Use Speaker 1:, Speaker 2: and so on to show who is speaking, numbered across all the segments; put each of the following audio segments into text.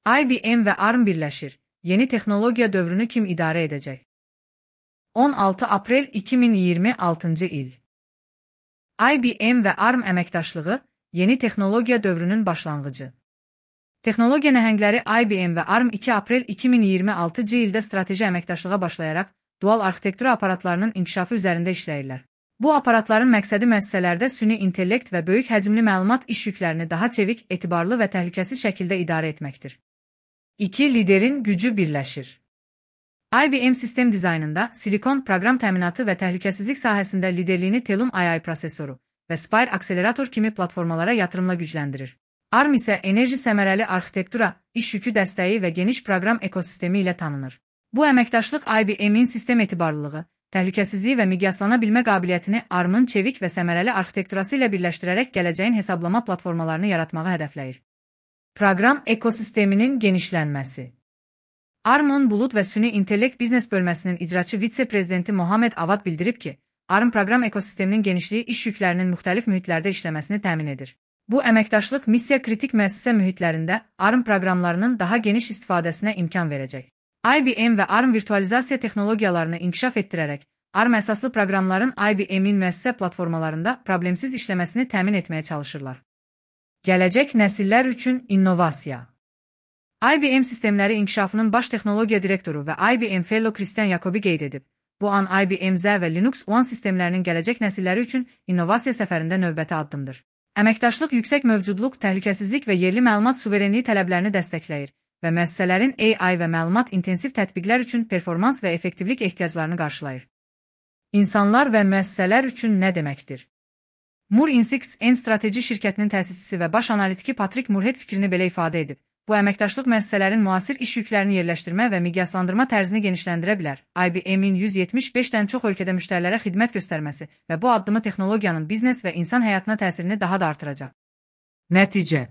Speaker 1: IBM və ARM birləşir. Yeni texnologiya dövrünü kim idarə edəcək? 16 aprel 2026 il. IBM və ARM əməkdaşlığı yeni texnologiya dövrünün başlanğıcı. Texnologiya nəhəngləri IBM və ARM 2 aprel 2026 ildə strateji əməkdaşlığa başlayaraq dual arxitektura aparatlarının inkişafı üzərində işləyirlər. Bu aparatların məqsədi müəssisələrdə süni intellekt və böyük həcmli məlumat iş yüklərini daha çevik, etibarlı və təhlükəsiz şəkildə idarə etməkdir. İki liderin gücü birləşir. IBM sistem dizaynında silikon proqram təminatı və təhlükəsizlik sahəsində liderliyini Telum AI prosesoru və Spire akselerator kimi platformalara yatırımla gücləndirir. ARM isə enerji səmərəli arxitektura, iş yükü dəstəyi və geniş proqram ekosistemi ilə tanınır. Bu əməkdaşlıq IBM-in sistem etibarlılığı, təhlükəsizliyi və miqyaslana bilmə qabiliyyətini ARM-ın çevik və səmərəli arxitekturası ilə birləşdirərək gələcəyin hesablama platformalarını yaratmağı hədəfləyir. Proqram ekosisteminin genişlənməsi. ARM-ın bulud və süni intellekt biznes bölməsinin icraçı vitse-prezidenti Mohamed Avad bildirib ki, ARM proqram ekosisteminin genişliyi iş yüklərinin müxtəlif mühitlərdə işləməsini təmin edir. Bu əməkdaşlıq missiya kritik müəssisə mühitlərində ARM proqramlarının daha geniş istifadəsinə imkan verəcək. IBM və ARM virtualizasiya texnologiyalarını inkişaf etdirərək, ARM əsaslı proqramların IBM-in müəssisə platformalarında problemsiz işləməsini təmin etməyə çalışırlar. Gələcək nəsillər üçün innovasiya. IBM sistemləri inkişafının baş texnologiya direktoru və IBM Fellow Christian Jacobi qeyd edib. Bu an IBM Z və Linux One sistemlərinin gələcək nəsilləri üçün innovasiya səfərində növbəti addımdır. Əməkdaşlıq yüksək mövcudluq, təhlükəsizlik və yerli məlumat suverenliyi tələblərini dəstəkləyir və müəssisələrin AI və məlumat intensiv tətbiqlər üçün performans və effektivlik ehtiyaclarını qarşılayır. İnsanlar və müəssisələr üçün nə deməkdir? Moore Insights N strateji şirkətinin təsisçisi və baş analitiki Patrick Moorhead fikrini belə ifadə edib. Bu əməkdaşlıq müəssisələrin müasir iş yüklərini yerləşdirmə və miqyaslandırma tərzini genişləndirə bilər. IBM-in 175-dən çox ölkədə müştərilərə xidmət göstərməsi və bu addımı texnologiyanın biznes və insan həyatına təsirini daha da artıracaq. Nəticə.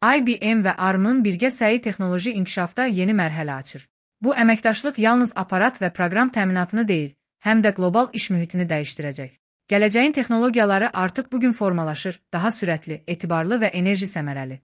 Speaker 1: IBM və ARM-ın birgə səyi texnoloji inkişafda yeni mərhələ açır. Bu əməkdaşlıq yalnız aparat və proqram təminatını deyil, həm də qlobal iş mühitini dəyişdirəcək. Gələcəyin texnologiyaları artıq bugün formalaşır, daha sürətli, etibarlı və enerji səmərəli.